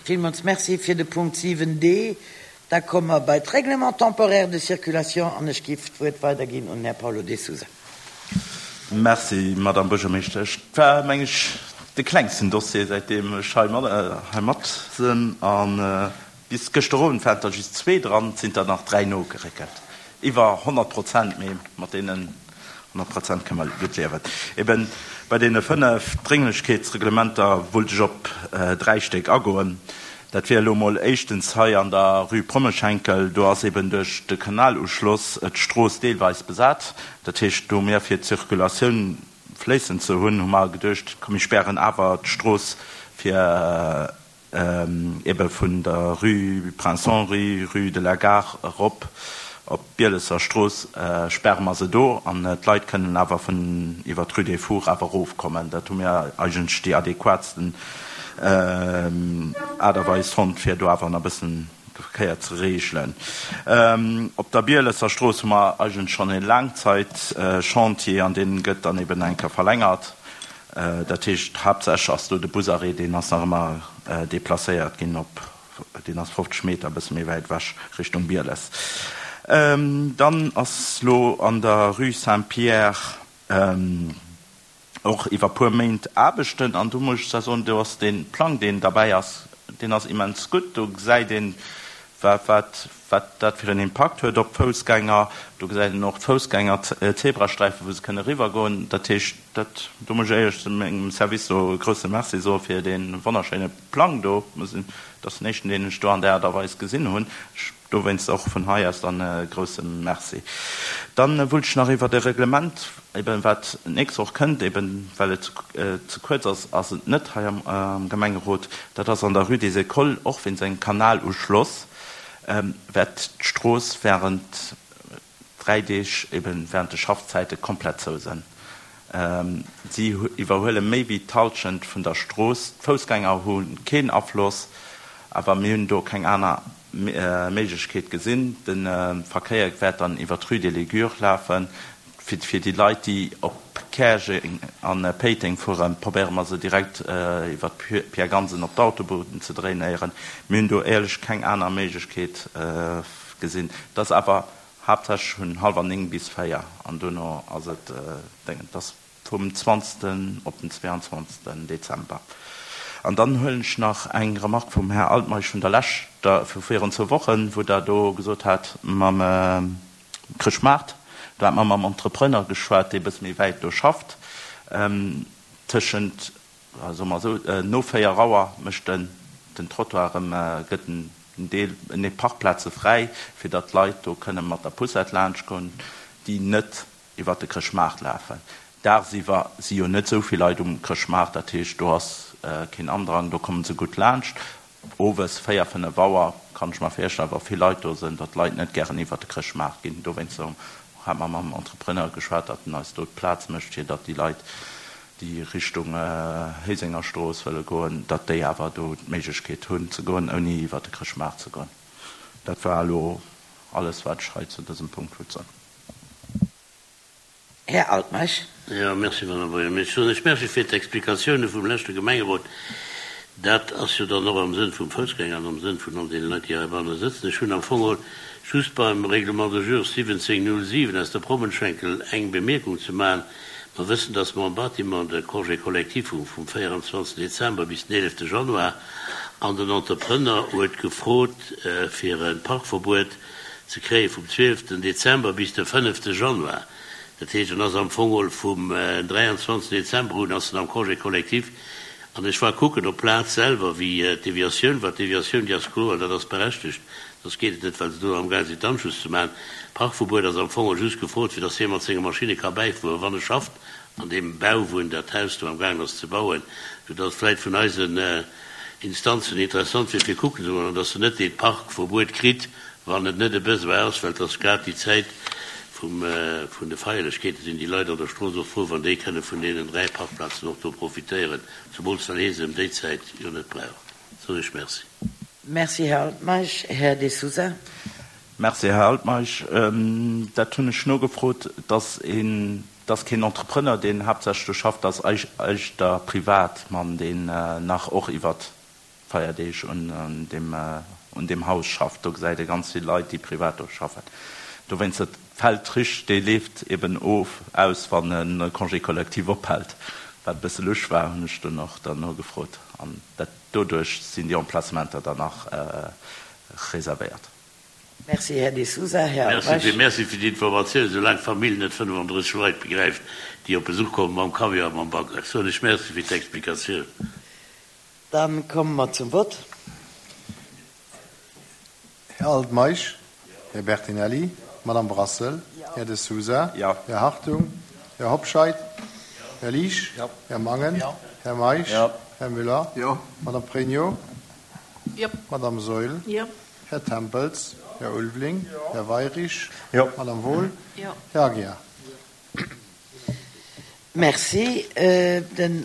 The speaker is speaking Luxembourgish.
Villmools Merci fir de Punkt 7d. Da komme mer bei d'Règlement temporaire de circulation an ech géif d'Wuert weiderginn un den Här Paulo De Sousa. Merci, Madame Buergermeeschtesch. Et war, meng ech, de klengsten Dossier, säitdeem ech hei mat sinn. A bis gëschter Owend waren der just zwee dran, et sinn der nach dräi nogeréckelt. Iwwer 100 Prozent, mee mat deenen 100 Prozent kënne mer gutt liewen. Eben bei deene 5 Drénglechkeetsreglementer wollt ech op 3 Stéck agoen. Dat wier elo emol éischtens hei an der Rue Prommeschenkel. Do ass eben duerch de Kanaluschloss d'Strooss deelweis besat. Dat heescht, do mir fir d'Circulatioun fléissend ze hunn, hu mer geduecht, komm mir spären awer d'Strooss fir ebe vun der Rue Prince Henri, Rue de la Gare erop op d'Bielesser Strooss, späre mer se do an d'Leit kënnen awer vun iwwer d'Rue des Fours awer erofkommen. Dat hu mir eigentlech déi adequatsten Aart a Weis fonnt, fir do awer nach e bëssen de Verkéier ze reegelen. Op der Bielesser Strooss hu mer eigentlech schonn e Laangzäitchantier an dee gëtt dann eben eng Kéier verlängert. Dat heescht, haaptsächlech ass do de Busarrêt, deen ass nach ëmmer deplacéiert ginn op, deen ass 50 Meter e bësse méi wäit ewech Richtung Bieles. Dann ass lo an der Rue Saint-Pierre och iwwer puer Méint Aarbechten an do muss ech zwar soen, do ass dee Plang, deen derbäi ass, deen ass immens gutt. Do gesäit een, wat dat fir en Impakt huet op d'Foussgänger. Do gesäit een och d'Foussgänger-Zebrasträifen, wou se kënne eriwwergoen. Dat heescht, dat, do muss ech éierlech mengem Service do e grousse Merci soe fir dee wonnerschéine Plang do. Dat ass den éischten, deen ech do an där Aart a Weis gesinn hunn. Ech dowéinst och vun hei aus dann e grousse Merci. Dann wullt ech nach iwwert e Reglement, eben wat d'nächst Woch kënnt, eben well et ze kuerz ass, ass et net hei am Gemengerot, dat ass an der Rue des Écoles, och wéinst engem Kanaluschloss wäert d'Strooss während 3 Deeg, eben während de Schaffzäite komplett zou sënn. Si iwwerhuele méi wéi d'Hallschent vun der Strooss. D'Foussgänger hu keen Afloss, awer mir hunn do keng aner Méiglechkeet gesinn. De Verkéier wäert dann iwwer d'Rue des Léguures lafen. Fir déi Leit, déi op Käerjeng a Péiteng fueren, probéiere mer se direkt iwwer d'Pierre Gansen op d'Autobunn ze drainéieren. Mir hunn do éierlech keng aner Méiglechkeet gesinn. Et ass awer haaptsächlech vun hallwer 9 bis 4 an duerno ass et Déngen. Et ass vum 20. Op den 22. Dezember. An dann huelen ech nach eng Remarque vum Här Altmeisch vun der leschter, vu virun zwou Wochen, wou Der do gesot hat mam Chrëschtmaart, do hat mer mam Entrepreneur geschwat, dee e bësse méi wäit do schafft, tëschent, soe mer esou, no 4 Auer mécht en den Trottoir erëm, gëtt en Deel, nee, Parkplaze fräi, fir datt d'Leit do kënne mat der Poussette laanschtgoen, déi net iwwert de Chrëschtmaart lafen. Dagsiwwer si jo net esou vill Leit um Chrëschtmaart, dat heescht, do ass keen Andrang, do komme se gutt laanscht. Owes 4, 5 Auer kann ech mer virstellen, wa vill Leit do sinn, datt d'Leit net gären iwwert de Chrëschtmaart ginn. Dowéinst hate mer mam Entrepreneur geschwat, datt en eis do d'Plaz mécht, fir datt déi Leit, déi Richtung Héisengerstrooss wëlle goen, datt déi awer do d'Méiglechkeet hunn ze goen, ouni iwwert de Chrëschtmaart ze goen. Dat war elo alles, wat ech hei zu dësem Punkt wollt soen. Här Altmeisch. Jo, merci, Madame Buergermeeschtesch. Soen ech Merci fir d'Explikatioune vum leschte Gemengerot. Dat ass jo dann och am Sënn vum Foussgänger an am Sënn vun all deene Leit, déi heibanne sëtzen. Ech hunn am Fong och just beim Règlement de jour 1707 aus der Prommenschenkel eng Bemierkung ze maachen. Mer wëssen, dass mer am Bâtiment de Congé collectif hu vum 24 Dezember bis den 11 Januar an den Entrepreneur huet gefrot, fir e Parkverbuet ze kréie vum 12 Dezember bis de 5 Januar. Dat heescht, en ass am Fong geholl vum 23 Dezember un ass en am Congé collectif. An ech war kucken op d'Plaz selwer, wéi d'Deviatioun war. D'Deviatioun, déi ass kloer, dat ass berechtegt, soss geet et net, well se do amgaang sinn d'Anschluss ze maachen. D'Parkverbuet ass am Fong geholl just gefrot, fir datt hie mat senge Maschinne ka bäifueren, wann e schafft an deem Bau, wou en dat Haus do amgaangen ass ze bauen, soudatt vläicht vun eisen Instanzen interessant wier fir kucken ze goen, an datt en net dee Parkverbuet kritt, wann et net e Besoin ass, well et ass grad déi Zäit vum, vun de Feierlechkeeten, sinn déi Leit an der Strooss och frou, wann déi kënne vun deenen 3 Parkplazen och do profitéieren, zemools well hee se ëm déi Zäit jo net brauch. Soen ech Merci. Merci, Här Altmeisch. Här De Sousa. Merci, Här Altmeisch. Dat hunn ech nogefrot, dass een, dass keen Entrepreneur, deen haaptsächlech do schafft, dass eischter Privatmann, deen nach och iwwert. Feierdeeg un deem un deem Haus schafft. Do gesäit ee ganz vill Leit, déi privat do schaffen. Dowéinst, et fält richteg, dee leeft eben of, aus, wann e Congé collectif ophält. Wat e bësse lusch war, hunn ech dunn och dann nogefrot. An dat, doduerch sinn déi Emplacementer dann nach reservéiert. Merci, Här De Sousa. Här Albrecht. Merci fir d'Informatioun. Soulaang d'Famill net 35 Leit begräift, déi op Besuch kommen mam Camion a mam Bagger, soen ech Merci fir d'Explikatioun. Dann komme mer zum Vott. Här Altmeisch, Här Bertinelli, Madame Brassel, Här De Sousa, Här Hartung, Här Hobscheit, Här Liesch, Här Mangen, Här Meisch, Här Müller, Madame Pregno, Madame Saeul, Här Tempels, Här Ulveling, Här Weirich, Madame Wohl, Här Aguiar. Merci. Den.